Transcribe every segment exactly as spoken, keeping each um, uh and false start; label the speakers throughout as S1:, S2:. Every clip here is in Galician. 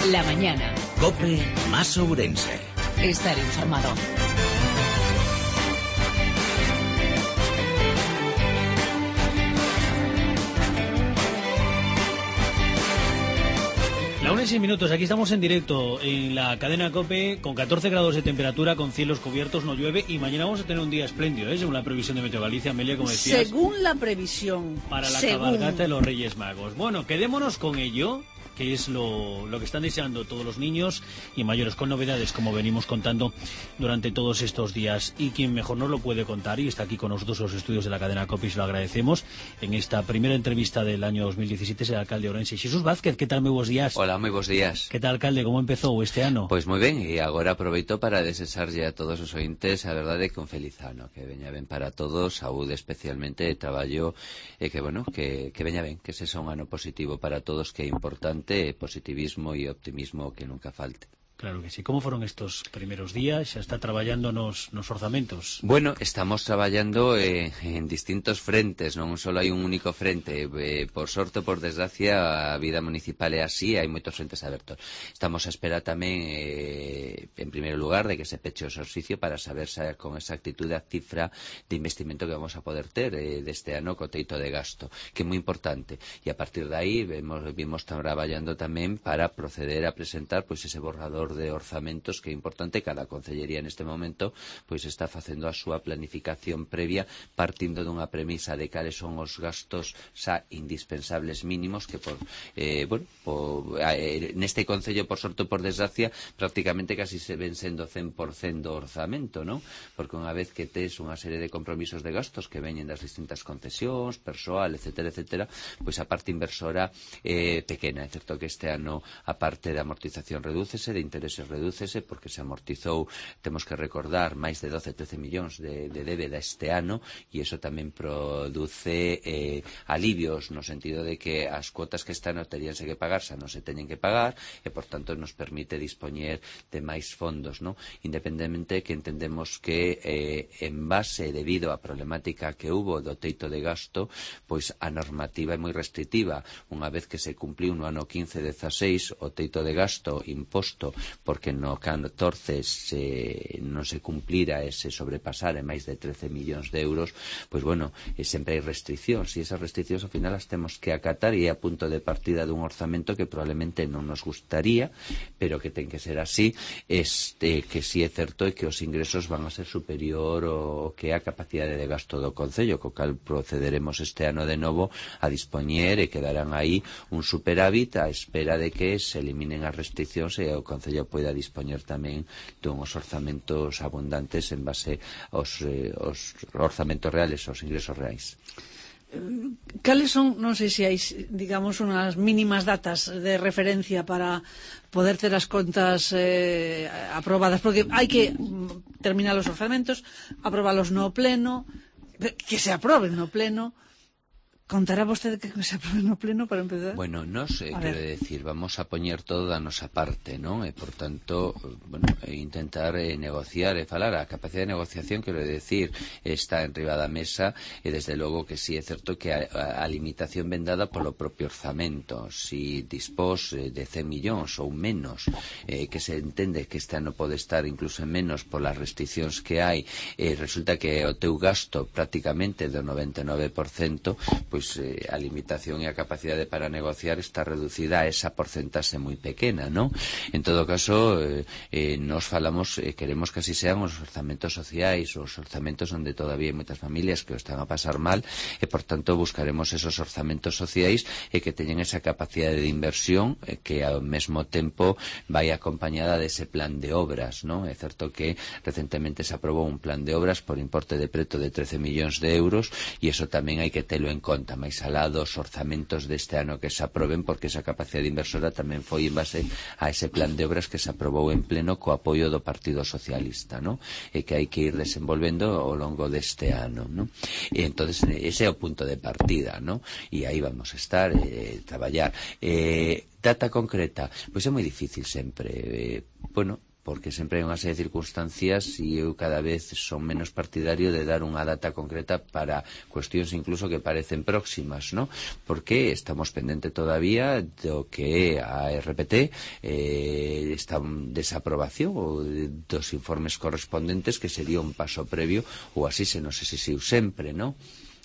S1: La mañana.
S2: COPE más Ourense.
S1: Estar informado.
S3: La una y seis minutos, aquí estamos en directo en la cadena COPE con catorce grados de temperatura, con cielos cubiertos, no llueve y mañana vamos a tener un día espléndido, ¿eh? Según la previsión de Meteo Galicia, Amelia, como decías.
S4: Según la previsión.
S3: Para la
S4: según...
S3: cabalgata de los Reyes Magos. Bueno, quedémonos con ello, que es lo, lo que están deseando todos los niños y mayores, con novedades, como venimos contando durante todos estos días. Y quien mejor nos lo puede contar, y está aquí con nosotros los estudios de la cadena COPE, y se lo agradecemos, en esta primera entrevista del año dos mil diecisiete, es el alcalde de Ourense, Xesús Vázquez. Que tal, moi bons días?
S5: Hola, moi bons días.
S3: Que tal, alcalde, como empezou este ano?
S5: Pois moi ben, e agora aproveito para desexarlle a todos os ointes a verdade que un feliz ano, que veña ben para todos, saúde especialmente, traballo, e que, bueno, que, que veña ben, que se xa un ano positivo para todos, que é importante, positivismo e optimismo que nunca falte.
S3: Claro que sí. Como foron estos primeros días? Xa está traballando nos, nos orzamentos?
S5: Bueno, estamos traballando eh, en distintos frentes, non só hai un único frente. Eh, por sorte, por desgracia, a vida municipal é así, hai moitos frentes abertos. Estamos a esperar tamén, eh, en primeiro lugar, de que se peche o exercicio para saber xa con exactitude a cifra de investimento que vamos a poder ter eh, deste ano co teito de gasto, que é moi importante. E a partir de aí, vemos, vimos traballando tamén para proceder a presentar pois ese borrador de orzamentos, que é importante. Cada concellería neste momento pois está facendo a súa planificación previa partindo dunha premisa de cales son os gastos xa indispensables mínimos que por, eh, bueno, por, eh, neste concello, por sorte ou por desgracia, prácticamente casi se ven sendo cen por cen do orzamento, non? Porque unha vez que tes unha serie de compromisos de gastos que veñen das distintas concesións, persoal, etcétera, etcétera, pois a parte inversora é eh, pequena. É certo que este ano a parte de amortización redúcese, de intereses redúcese, porque se amortizou, temos que recordar, máis de doce, trece millóns de, de débeda este ano, e iso tamén produce eh, alivios no sentido de que as cuotas que este ano teríanse que pagar xa non se teñen que pagar, e por tanto nos permite dispoñer de máis fondos, non? Independentemente que entendemos que eh, en base, debido á problemática que hubo do teito de gasto, pois a normativa é moi restrictiva. Unha vez que se cumpliu no ano quince dezaseis o teito de gasto imposto porque no catorce se, non se cumplira ese sobrepasar en máis de trece millóns de euros, pois bueno, e sempre hai restriccións, e esas restriccións ao final as temos que acatar, e é a punto de partida dun orzamento que probablemente non nos gustaría, pero que ten que ser así, este, que si é certo é que os ingresos van a ser superior ao que é a capacidade de gasto do Concello, co cal procederemos este ano de novo a dispoñer, e quedarán aí un superávit á espera de que se eliminen as restriccións e o Concello poida dispoñer tamén dunhos orzamentos abundantes en base aos, eh, aos orzamentos reales, aos ingresos reais.
S4: Cales son, non sei se hai, digamos, unhas mínimas datas de referencia para poder ter as contas eh, aprobadas? Porque hai que terminar os orzamentos, aprobalos no pleno, que se aproben no pleno. Contará vostede que se aprobe no pleno para empezar?
S5: Bueno, nos, eh, quero decir, vamos a poñer todo da nosa parte, non? E, por tanto, bueno, e intentar eh, negociar e falar. A capacidade de negociación, quero decir, está en riba da mesa, e desde logo que sí é certo que a, a, a limitación ven dada polo propio orzamento. Si dispós eh, de cen millóns ou menos, eh, que se entende que este ano pode estar incluso en menos polas restriccións que hai, eh, resulta que o teu gasto prácticamente do noventa e nove por cento, pois pois eh, a limitación e a capacidade para negociar está reducida a esa porcentaxe moi pequena, non? En todo caso, eh, eh, nos falamos, eh, queremos que así sean os orzamentos sociais, os orzamentos onde todavía hai moitas familias que o están a pasar mal, e por tanto buscaremos esos orzamentos sociais e que teñen esa capacidade de inversión eh, que ao mesmo tempo vai acompañada dese plan de obras, non? É certo que recentemente se aprobou un plan de obras por importe de preto de trece millóns de euros, e iso tamén hai que telo en conta máis alá dos orzamentos deste ano que se aproben, porque esa capacidade inversora tamén foi en base a ese plan de obras que se aprobou en pleno co apoio do Partido Socialista, non? E que hai que ir desenvolvendo ao longo deste ano, non? E entonces ese é o punto de partida, non? E aí vamos a estar, eh, traballar. Eh, data concreta, pois é moi difícil sempre, eh, bueno, porque sempre hai unha serie de circunstancias e eu cada vez son menos partidario de dar unha data concreta para cuestións incluso que parecen próximas, ¿no? Porque estamos pendente todavía do que a R P T eh, está en desaprobación ou dos informes correspondentes, que sería un paso previo, ou así se nos exixiu sempre, ¿no?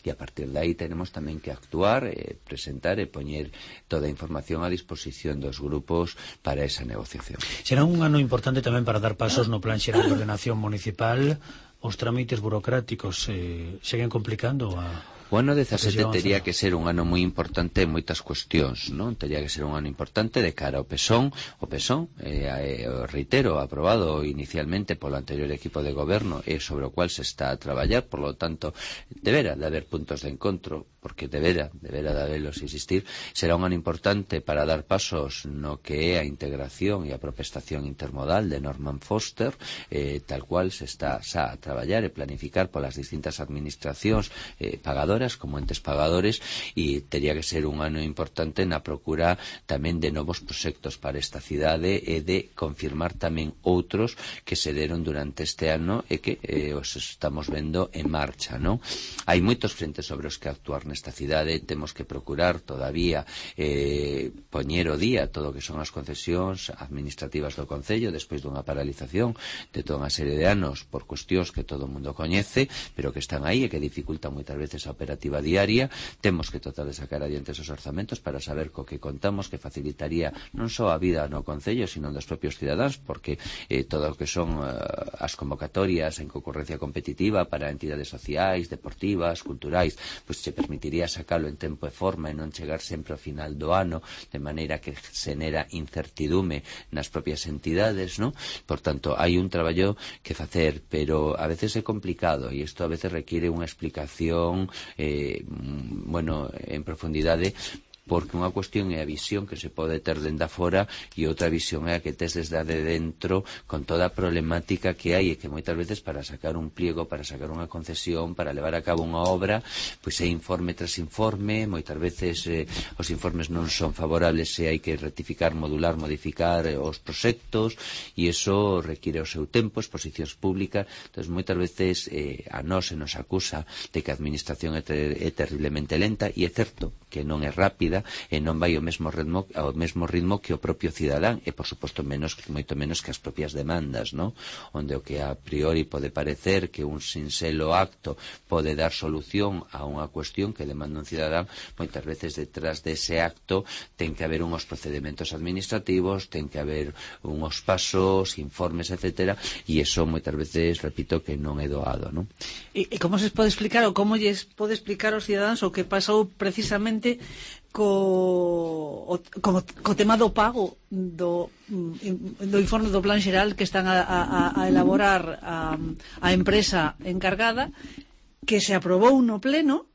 S5: E a partir de aí tenemos tamén que actuar, eh, presentar e poñer toda a información a disposición dos grupos para esa negociación.
S3: Será un ano importante tamén para dar pasos no Plan Xeral de Ordenación Municipal. Os trámites burocráticos eh, seguen complicando a...
S5: O ano dezasete tería que ser un ano moi importante en moitas cuestións, non? Tería que ser un ano importante de cara ao PESON. O PESON, eh, eh, reitero, aprobado inicialmente polo anterior equipo de goberno e sobre o cual se está a traballar, por lo tanto, debera de haber puntos de encontro, porque debera, debera de haberlos existir. Será un ano importante para dar pasos no que é a integración e a propestación intermodal de Norman Foster, eh, tal cual se está xa a traballar e planificar polas distintas administracións eh, pagadoras como entes pagadores, e tería que ser un ano importante na procura tamén de novos proxectos para esta cidade e de confirmar tamén outros que se deron durante este ano e que eh, os estamos vendo en marcha, non? Hai moitos frentes sobre os que actuar nesta cidade. Temos que procurar todavía eh, poñer o día todo o que son as concesións administrativas do Concello despois dunha paralización de toda unha serie de anos por cuestións que todo o mundo coñece, pero que están aí e que dificultan moitas veces a operativa diaria. Temos que tratar de sacar adiante esos orzamentos para saber co que contamos, que facilitaría non só a vida no Concello, sino dos propios cidadáns, porque eh, todo o que son uh, as convocatorias en concurrencia competitiva para entidades sociais, deportivas, culturais, pois se permitiría sacalo en tempo e forma e non chegar sempre ao final do ano, de maneira que xenera incertidume nas propias entidades, ¿no? Por tanto, hai un traballo que facer, pero a veces é complicado e isto a veces requiere unha explicación Eh, bueno, en profundidade, porque unha cuestión é a visión que se pode ter dende afora e outra visión é a que tes desde de dentro, con toda a problemática que hai, e que moitas veces para sacar un pliego, para sacar unha concesión, para levar a cabo unha obra, pois é informe tras informe, moitas veces eh, os informes non son favorables e hai que rectificar, modular, modificar eh, os proxectos, e iso require o seu tempo, exposicións públicas. Entón, moitas veces eh, a nós se nos acusa de que a administración é, ter é terriblemente lenta, e é certo que non é rápida e non vai ao mesmo ritmo ao mesmo ritmo que o propio cidadán, e por suposto menos moito menos que as propias demandas, ¿no? Onde o que a priori pode parecer que un sinxelo acto pode dar solución a unha cuestión que demanda un cidadán, moitas veces detrás dese acto ten que haber unhos procedimentos administrativos, ten que haber unhos pasos, informes, etcétera, e iso moitas veces, repito, que non é doado, ¿no?
S4: E, e como se pode explicar, ou como lles pode explicar aos cidadáns o que pasou precisamente co, o, co, co tema do pago do, do informe do Plan Xeral que están a, a, a elaborar a, a empresa encargada, que se aprobou no pleno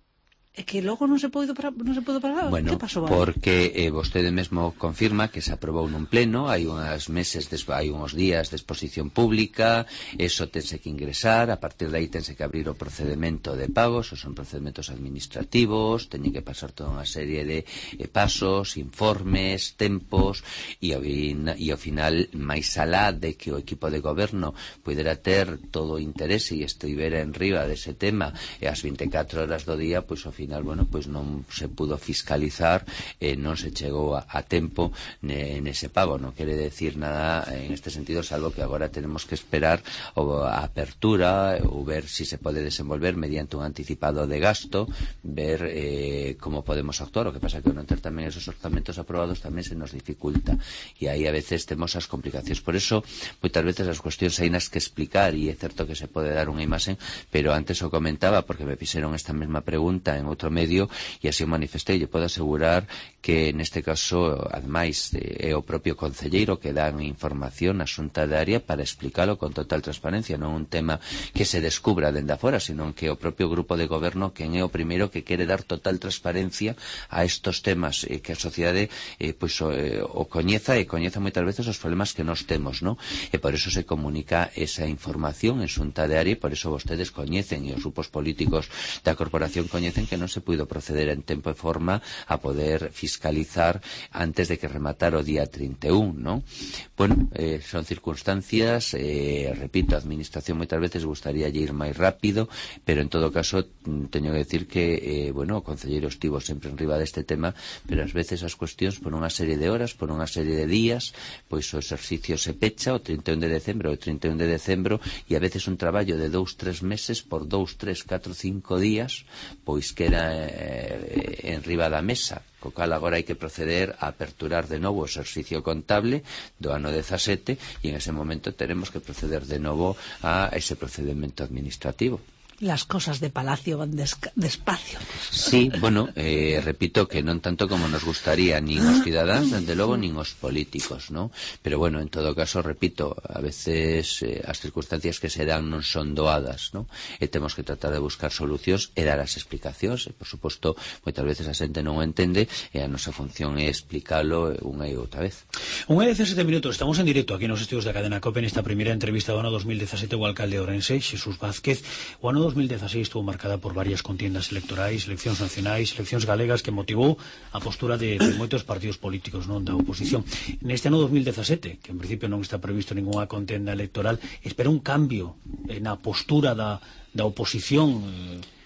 S4: e que logo non se pode non se pode pagar?
S5: Bueno,
S4: que pasou?
S5: Porque eh, vostede mesmo confirma que se aprobou nun pleno, hai unhas meses, hai uns días de exposición pública, eso tense que ingresar, a partir de aí tense que abrir o procedimento de pagos, son procedimentos administrativos, teñen que pasar toda unha serie de eh, pasos, informes, tempos, e ao, e ao final, máis alá de que o equipo de goberno pudera ter todo o interese e estivera en riba dese tema e as vinte e catro horas do día, pois ao final, bueno, pois non se pudo fiscalizar e non se chegou a, a tempo ne, nese pago. Non quere decir nada en este sentido, salvo que agora tenemos que esperar o, a apertura ou ver si se pode desenvolver mediante un anticipado de gasto, ver eh, como podemos actuar. O que pasa que non ter tamén esos orzamentos aprobados tamén se nos dificulta, e aí a veces temos as complicacións. Por eso, moitas veces as cuestións hai nas que explicar, e é certo que se pode dar unha imaxe, pero antes o comentaba porque me fixeron esta mesma pregunta en outro medio e así o manifestei. Eu podo asegurar que neste caso, ademais, é o propio concelleiro que dá información na xunta de área para explicalo con total transparencia, non un tema que se descubra dende afora, sino que o propio grupo de goberno quen é o primeiro que quere dar total transparencia a estos temas, eh, que a sociedade eh, pois, o, eh, o coñeza e coñeza moitas veces os problemas que nos temos, non? E por eso se comunica esa información en xunta de área, e por eso vostedes coñecen e os grupos políticos da corporación coñecen que non se puido proceder en tempo e forma a poder fiscalizar antes de que rematara o día trinta e un, non? Bueno, eh, son circunstancias, eh, repito, a administración moitas veces gustaría ir máis rápido, pero en todo caso teño que decir que, eh, bueno, o concelleiro estivo sempre en riba deste tema, pero ás veces as cuestións por unha serie de horas, por unha serie de días, pois o exercicio se pecha o trinta e un de decembro, o trinta e un de decembro, e a veces un traballo de dous, tres meses por dous, tres, catro, cinco días, pois queda eh, en riba da mesa, co cal agora hai que proceder a aperturar de novo o exercicio contable do ano dezasete e en ese momento teremos que proceder de novo a ese procedimento administrativo.
S4: Las cosas de Palacio van despacio.
S5: Sí, bueno, eh, repito que non tanto como nos gustaría nin os cidadáns, dende logo, nin os políticos, ¿no? Pero bueno, en todo caso, repito, a veces eh, as circunstancias que se dan non son doadas, ¿no? E temos que tratar de buscar solucións e dar as explicacións, e por suposto, moitas veces a xente non o entende, e a nosa función é explicalo unha e outra vez.
S3: Unha e dezasete minutos, estamos en directo aquí nos estudios da cadena COPE nesta primeira entrevista do ano dos mil dezasete o alcalde de Ourense, Xesús Vázquez. O ano dos mil dezaseis estuvo marcada por varias contiendas electorais, eleccións nacionais, eleccións galegas, que motivou a postura de, de moitos partidos políticos, non, da oposición. Neste ano dos mil dezasete, que en principio non está previsto ninguna contenda electoral, espera un cambio na postura da, da oposición. eh...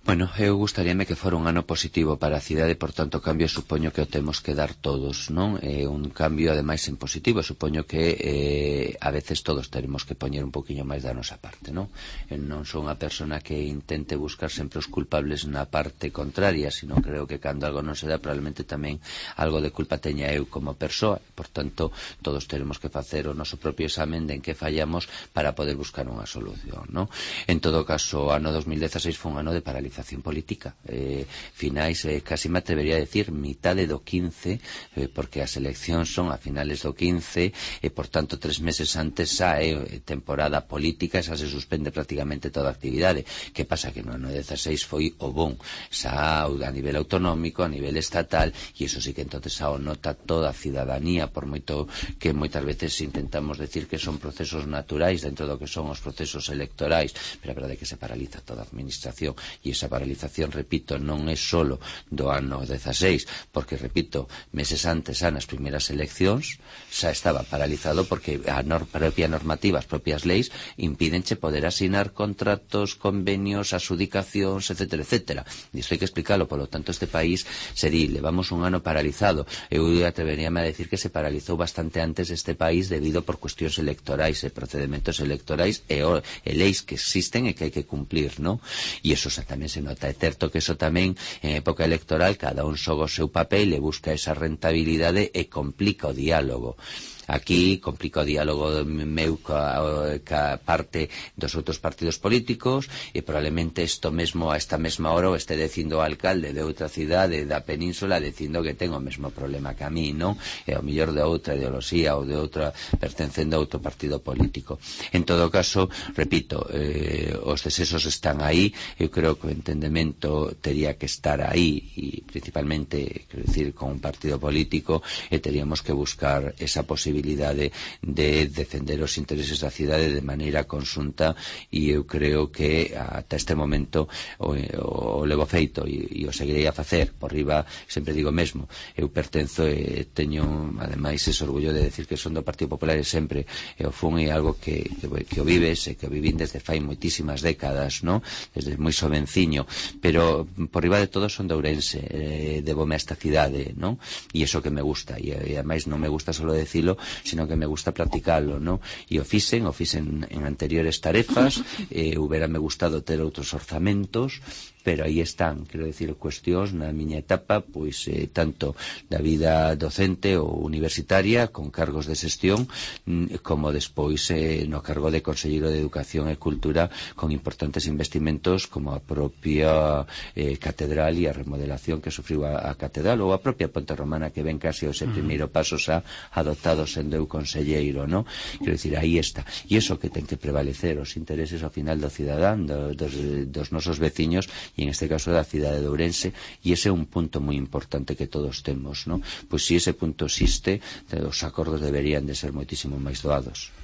S5: Bueno, eu gustaríame que fora un ano positivo para a cidade, por tanto, cambio supoño que o temos que dar todos, non? É un cambio, ademais, en positivo, supoño que eh, a veces todos teremos que poñer un poquinho máis da nosa parte, non? Eu non son unha persona que intente buscar sempre os culpables na parte contraria, sino creo que cando algo non se dá, probablemente tamén algo de culpa teña eu como persoa, por tanto, todos teremos que facer o noso propio examen de en que fallamos para poder buscar unha solución, non? En todo caso, o ano dos mil dezaseis foi un ano de paralización política, eh, finais, eh, casi me atrevería a decir mitade do quince, eh, porque as eleccións son a finales do quince e por tanto tres meses antes xa é eh, temporada política, xa se suspende prácticamente toda a actividade. Que pasa? Que no ano dezaseis foi o bon, xa a nivel autonómico, a nivel estatal, e iso sí que entonces xa o nota toda a cidadanía, por moito que moitas veces intentamos decir que son procesos naturais dentro do que son os procesos electorais, pero a verdade é que se paraliza toda a administración, e esa paralización, repito, non é solo do ano dezaseis, porque, repito, meses antes, nas primeiras eleccións, xa estaba paralizado porque a nor propia normativa, as propias leis, impídenche poder asinar contratos, convenios, adxudicacións, etcétera, etcétera. E isto hai que explicarlo, polo tanto, este país se di, levamos un ano paralizado. Eu atreveríame a decir que se paralizou bastante antes este país debido por cuestións electorais e procedimentos electorais e, o, e leis que existen e que hai que cumplir, non? E iso xa tamén se nota. É certo que eso tamén en época electoral cada un xoga o seu papel e busca esa rentabilidade e complica o diálogo. Aquí complica o diálogo meu ca, ca parte dos outros partidos políticos e probablemente isto mesmo a esta mesma hora o este dicindo o alcalde de outra cidade da península dicindo que ten o mesmo problema que a mí, non? E ao mellor de outra ideoloxía ou de outra pertencendo a outro partido político. En todo caso, repito, eh, os desesos están aí, eu creo que o entendemento tería que estar aí e principalmente, quero dicir, con un partido político e teríamos que buscar esa posibilidade de defender os intereses da cidade de maneira conxunta e eu creo que ata este momento o, o, o levo feito e, e o seguirei a facer por riba, sempre digo mesmo, eu pertenzo e teño ademais ese orgullo de decir que son do Partido Popular e sempre e o fun é algo que, que, que o vives e que o vivín desde fai moitísimas décadas, no? Desde moi sovenciño, pero por riba de todo son de Ourense, eh, debome a esta cidade, no? E iso que me gusta e, e ademais non me gusta solo decirlo, sino que me gusta practicarlo, ¿no? E o fixen, o fixen en anteriores tarefas, eh, huberame gustado ter outros orzamentos, pero aí están, quero dicir, cuestións na miña etapa, pois eh, tanto da vida docente ou universitaria, con cargos de xestión, como despois eh, no cargo de Conselleiro de Educación e Cultura, con importantes investimentos como a propia eh, catedral e a remodelación que sufriu a, a catedral, ou a propia Ponte Romana, que ven casi o ese primeiro paso xa adoptado sendo eu conselleiro, ¿no? Quero dicir, aí está. E iso que ten que prevalecer, os intereses ao final do cidadán, do, dos, dos nosos veciños, e en este caso da cidade de Ourense, e ese é un punto moi importante que todos temos, ¿no? Pois se ese punto existe, os acordos deberían de ser moitísimo máis doados.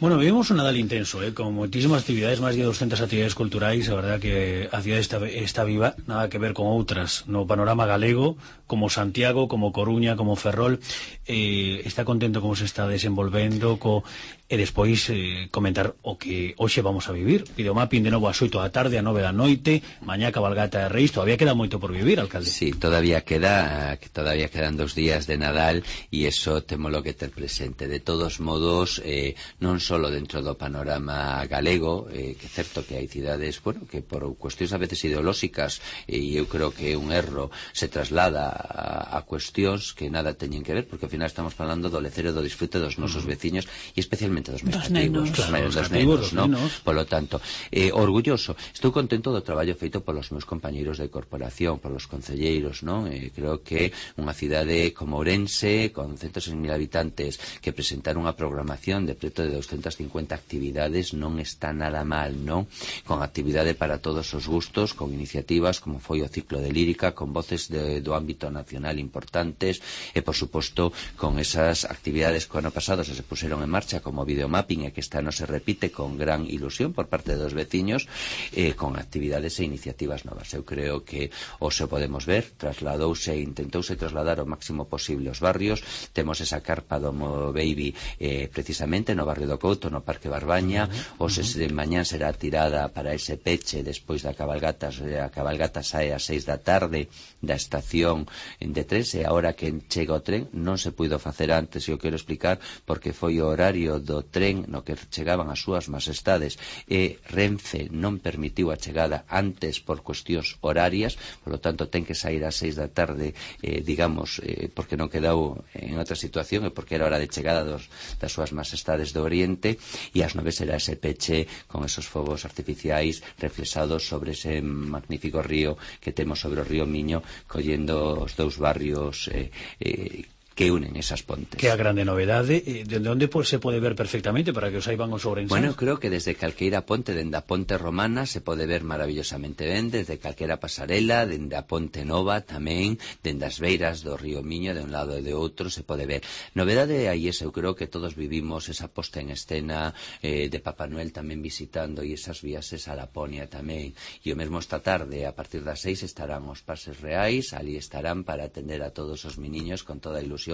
S3: Bueno, vivimos un Nadal intenso, ¿eh? Con muchísimas actividades, más de doscientas actividades culturais. A verdad que a cidade está, está viva, nada que ver con outras no panorama galego, como Santiago, como Coruña, como Ferrol. Eh, está contento como se está desenvolvendo, co, e despois eh, comentar o que hoxe vamos a vivir. Videomapping de novo ás oito da tarde, a nove da noite, mañá cabalgata de Reis. Todavía queda moito por vivir, alcalde.
S5: Sí, todavía queda, todavía quedan dos días de Nadal e iso témolo que ter presente. De todos modos, eh, non solo dentro do panorama galego, eh, que é certo que hai cidades, bueno, que por cuestións a veces ideolóxicas, e eh, eu creo que un erro se traslada a, a cuestións que nada teñen que ver, porque ao final estamos falando do lecer e do disfrute dos nosos veciños e especialmente dos máis cativos,
S4: nenos,
S5: claro, dos nenos, ¿no? Polo tanto, eh, orgulloso, estou contento do traballo feito polos meus compañeiros de corporación, polos concelleiros, non? Eh, creo que unha cidade como Ourense, con ciento seis mil habitantes, que presentaron unha programación de preto de doscientas cincuenta actividades, non está nada mal, non? Con actividade para todos os gustos, con iniciativas como foi o ciclo de lírica, con voces de, do ámbito nacional importantes, e por suposto con esas actividades que o ano pasado se, se puseron en marcha como videomapping, e que este ano se repite con gran ilusión por parte dos veciños, eh, con actividades e iniciativas novas. Eu creo que hoxe podemos ver, trasladouse e intentouse trasladar o máximo posible os barrios. Temos esa carpa do Mo Baby eh, precisamente no barrio do Couto, no Parque Barbaña. Hoxe de mañán será tirada para ese peche despois da cabalgata. A cabalgata sae ás seis da tarde da estación de tres, e a hora que chega o tren non se puido facer antes, e eu quero explicar porque foi o horario do tren no que chegaban as súas majestades, e Renfe non permitiu a chegada antes por cuestións horarias, polo tanto ten que sair ás seis da tarde, eh, digamos, eh, porque non quedou en outra situación, e porque era hora de chegada dos, das súas majestades do Oriente, e ás nove será ese peche con esos fogos artificiais reflexados sobre ese magnífico río que temos sobre o río Miño, collendo os dous barrios eh, eh, que unen esas pontes.
S3: Que a grande novedade, eh, de onde se pode ver perfectamente para que os saiban os ourenses?
S5: Bueno, creo que desde calqueira ponte, dende a ponte romana, se pode ver maravillosamente ben, desde calquera pasarela, dende a ponte nova tamén, dende as beiras do río Miño, de un lado e de outro, se pode ver. Novedade aí esa, eu creo que todos vivimos esa posta en escena eh, de Papá Noel tamén visitando, e esas viaxes a Laponia tamén. E o mesmo esta tarde, a partir das seis, estarán os pases reais, ali estarán para atender a todos os meniños con toda a ilusión.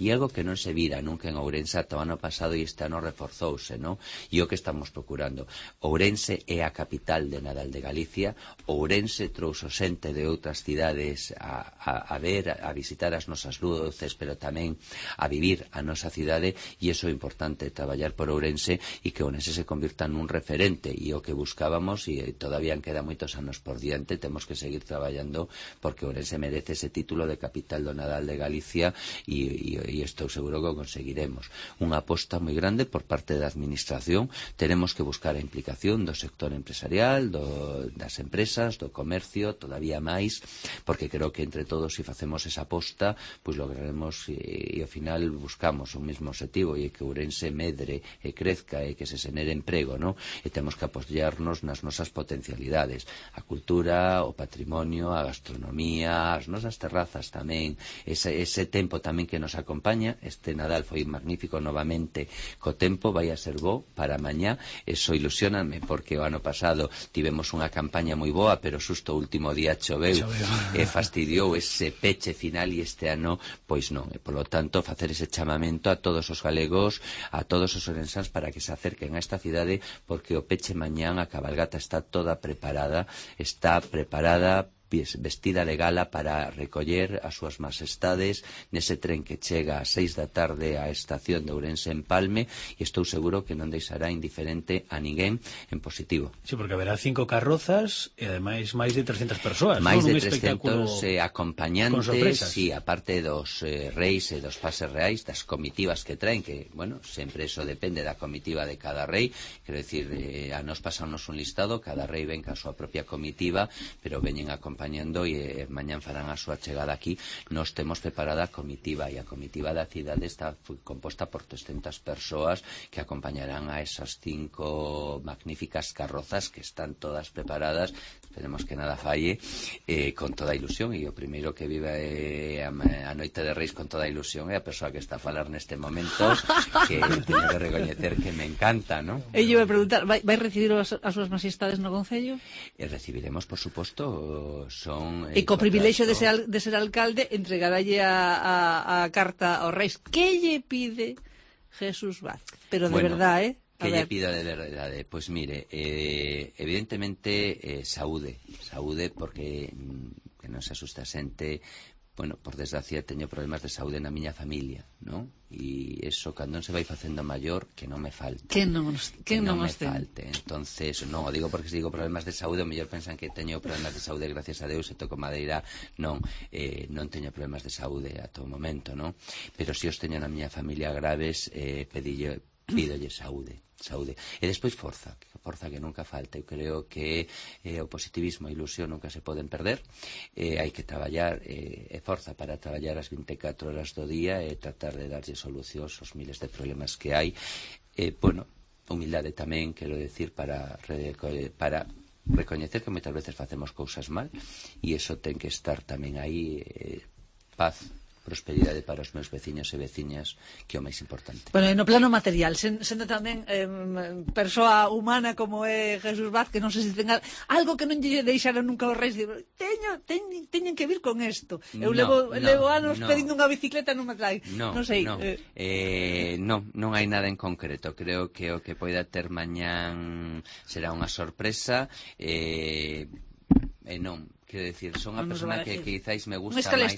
S5: E algo que non se vira nunca en Ourense ata o ano pasado, e este ano reforzouse, non? E o que estamos procurando. Ourense é a capital de Nadal de Galicia. Ourense trouxo xente de outras cidades a, a, a ver, a visitar as nosas luces, pero tamén a vivir a nosa cidade, e iso é importante, traballar por Ourense e que Ourense se convirta nun referente, e o que buscábamos, e todavía queda moitos anos por diante, temos que seguir traballando porque Ourense merece ese título de capital do Nadal de Galicia, e E, e, e estou seguro que o conseguiremos. Unha aposta moi grande por parte da administración. Tenemos que buscar a implicación do sector empresarial, do, das empresas, do comercio, todavía máis, porque creo que entre todos, se facemos esa aposta, pois lograremos, e, e ao final buscamos un mesmo objetivo, e que Ourense medre e crezca e que se xenere emprego, non? E temos que apoiarnos nas nosas potencialidades, a cultura, o patrimonio, a gastronomía, as nosas terrazas tamén, ese, ese tempo tamén que nos acompaña. Este Nadal foi magnífico novamente co tempo, vai a ser bo para mañá. Eso ilusioname porque o ano pasado tivemos unha campaña moi boa, pero xusto o último día choveu e fastidiou ese peche final, e este ano pois non. E polo tanto facer ese chamamento a todos os galegos, a todos os ourensáns, para que se acerquen a esta cidade, porque o peche mañán, a cabalgata está toda preparada, está preparada vestida de gala para recoller as súas majestades nese tren que chega ás seis da tarde á estación de Ourense en Palme, e estou seguro que non deixará indiferente a ninguén en positivo.
S3: Sí, porque haberá cinco carrozas e ademais máis de trescentas persoas.
S5: Máis
S3: non?
S5: de trescentos eh, acompañantes, sí, aparte dos eh, reis e dos pases reais, das comitivas que traen, que, bueno, sempre eso depende da comitiva de cada rei. Quero dicir, eh, a nos pasamos un listado, cada rei ven ca súa propia comitiva, pero veñen acompañados acompañando e eh, mañán farán a súa chegada aquí. Nos temos preparada a comitiva e a comitiva da cidade está composta por trescentas persoas que acompañarán a esas cinco magníficas carrozas que están todas preparadas, esperemos que nada falle, eh, con toda a ilusión, e o primeiro que vive eh, a, a noite de Reis con toda a ilusión é a persoa que está a falar neste momento, que teño que recoñecer que me encanta, ¿no?
S4: E eu vou preguntar, vai, vai recibir as, as súas majestades no Concello?
S5: E recibiremos, por suposto, son...
S4: E co privilexio de ser, de ser alcalde, entregarlle a, a, a carta aos Reis. Que lle pide Jesús Vázquez? Pero de
S5: bueno,
S4: verdade, eh?
S5: Que lle pido de verdade? Pois pues mire, eh, evidentemente eh, saúde, saúde porque mm, que non se asusta a xente. Bueno, por desgracia teño problemas de saúde na miña familia, ¿no? E iso cando non se vai facendo maior que non me falte.
S4: Que non, que
S5: que
S4: non,
S5: non me
S4: ten?
S5: falte. Entonces, non o digo porque se digo problemas de saúde, o mellor pensan que teño problemas de saúde, gracias a Deus, e toco madeira. Non, eh, non teño problemas de saúde a todo momento, ¿no? Pero se os teño na miña familia graves, eh, pedille, pídolle saúde. saúde. E despois forza, forza que nunca falta. Eu creo que eh, o positivismo e a ilusión nunca se poden perder. Eh, hai que traballar, eh, e forza para traballar as vinte e catro horas do día e tratar de darlle solucións aos miles de problemas que hai. Eh, bueno, humildade tamén, quero decir, para, para recoñecer que moitas veces facemos cousas mal, e iso ten que estar tamén aí, eh, paz, prosperidade para os meus veciños e veciñas, que é o máis importante.
S4: Bueno, no plano material, sen, sendo tamén eh, persoa humana como é Jesús Vázquez, non sei se tenga algo que non lle deixaron nunca os Reis, digo, teño, teño, teñen que vir con isto. Eu
S5: no,
S4: levo,
S5: no,
S4: levo anos
S5: no.
S4: pedindo unha bicicleta, non me trae.
S5: No,
S4: non sei.
S5: No.
S4: Eh...
S5: Eh, no, non hai nada en concreto. Creo que o que poida ter mañán será unha sorpresa. Eh, e non, quero decir, son unha persona que quizáis me gusta máis.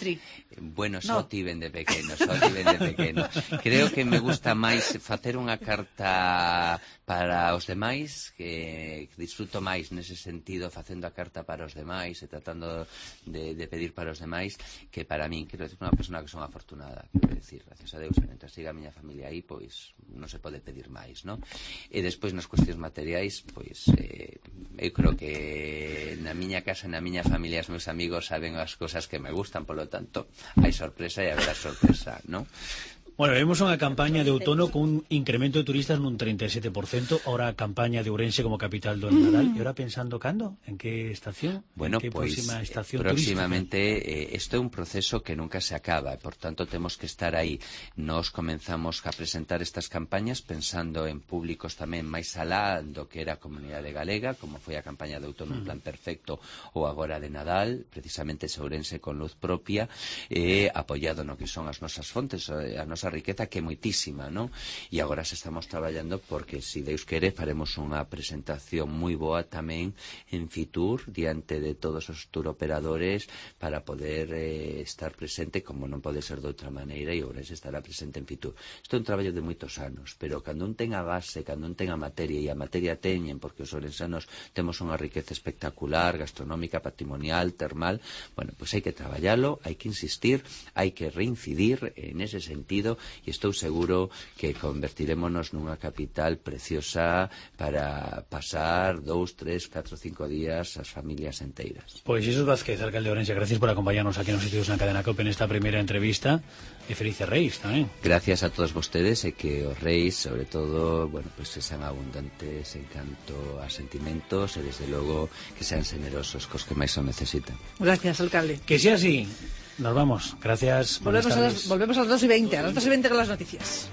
S5: Bueno, só no. tiven de pequeno, só tiven de pequeno. Creo que me gusta máis facer unha carta para os demais, que disfruto máis nese sentido facendo a carta para os demais e tratando de, de pedir para os demais que para min. Quero decir, unha persona que son afortunada, quero decir, gracias a Deus, mentre siga a miña familia aí, pois non se pode pedir máis, non? E despois nas cuestións materiais, pois eh, eu creo que na miña casa, na miña familia, os meus amigos saben as cousas que me gustan, polo tanto, hai sorpresa e haberá sorpresa, non?
S3: Bueno, vemos unha campaña de outono con un incremento de turistas nun treinta e sete por cento, ahora a campaña de Ourense como capital do Nadal, e ahora pensando cando, en que estación,
S5: bueno,
S3: en que
S5: pues,
S3: próxima estación
S5: próximamente eh, isto é un proceso que nunca se acaba, por tanto temos que estar aí. Nos comenzamos a presentar estas campañas pensando en públicos tamén máis alá do que era a comunidade galega, como foi a campaña de outono en plan perfecto ou agora de Nadal, precisamente Ourense con luz propia, eh, apoiado no que son as nosas fontes, a nosa riqueza, que é moitísima, non? E agora se estamos traballando porque, se Deus quere, faremos unha presentación moi boa tamén en Fitur, diante de todos os tour operadores, para poder eh, estar presente, como non pode ser de outra maneira, e Ourense estará presente en Fitur. Isto é un traballo de moitos anos, pero cando un ten a base, cando un ten a materia, e a materia teñen, porque os ourensanos temos unha riqueza espectacular, gastronómica, patrimonial, termal, bueno, pois hai que traballalo, hai que insistir, hai que reincidir en ese sentido, e estou seguro que convertirémonos nunha capital preciosa para pasar dous, tres, catro, cinco días as familias enteiras.
S3: Pois Jesús Vázquez, alcalde de Ourense, gracias por acompañarnos aquí nos Sitios na Cadena COPE nesta primeira entrevista, e felices Reis tamén.
S5: Gracias a todos vostedes, e que os Reis, sobre todo, bueno, pues que sean abundantes en canto a sentimentos, e desde logo que sean generosos cos que máis o necesitan.
S4: Gracias, alcalde.
S3: Que sea así. Nos vamos. Gracias.
S4: Volvemos a, las, volvemos a las dos y veinte. A las dos y veinte con las noticias.